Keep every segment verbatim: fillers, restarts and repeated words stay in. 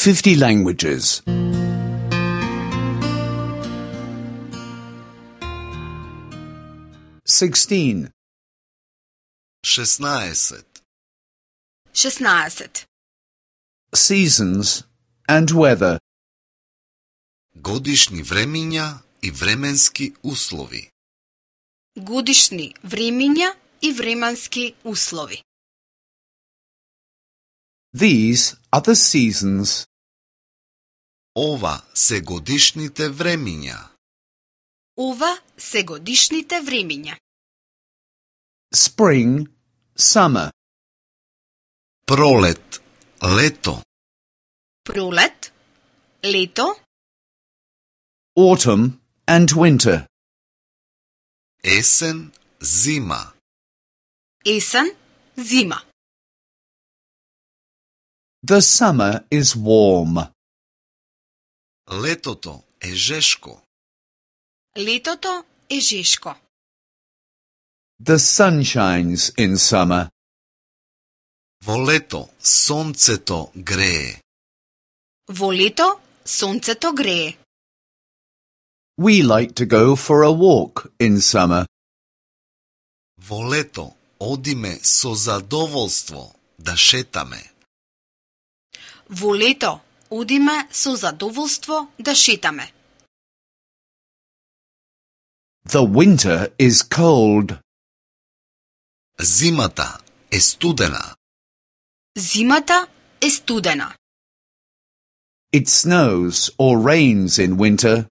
fifty languages. Sixteen. шестнаесет. шестнадесет. Seasons and weather. Годишни времиња и временски услови. Годишни времиња и временски услови. These are the seasons. Ова се годишните времиња. Ова се годишните времиња. Spring, summer. Пролет, лето. Пролет, лето. Autumn and winter. Есен, зима. Есен, зима. The summer is warm. Летото е жешко. Летото е жешко. The sun shines in summer. Во лето сонцето грее. Во лето сонцето грее. We like to go for a walk in summer. Во лето одиме со задоволство да шетаме. Во лето одиме со задоволство да шетаме. The winter is cold. Зимата е студена. Зимата е студена. It snows or rains in winter.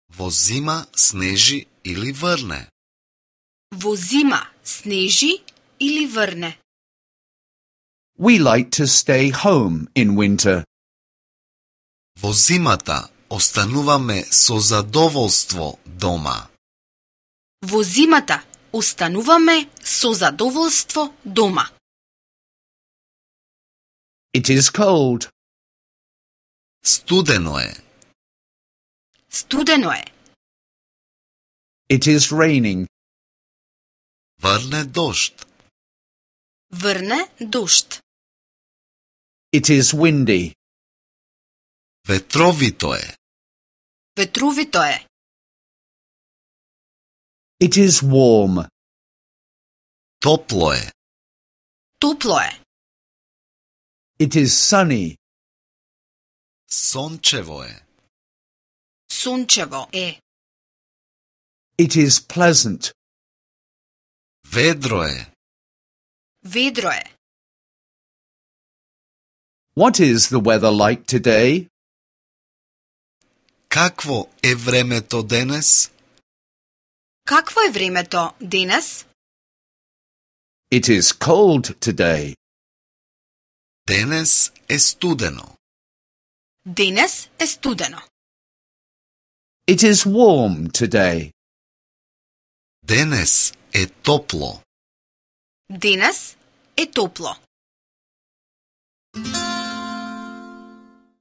Во зима снежи или врне. Во зима снежи или врне. We like to stay home in winter. Во зимата остануваме со задоволство дома. Во зимата остануваме со задоволство дома. It is cold. Студено е. Студено е. It is raining. Врне дожд. Врне дожд. It is windy. Ветровито е. Ветровито е. It is warm. Топло е. Топло е. It is sunny. Сончево е. Сончево е. It is pleasant. Ведро е. Ведро е. What is the weather like today? Какво е времето денес? Какво е времето денес? It is cold today. Денес е студено. Денес е студено. It is warm today. Денес е топло. Денес е топло.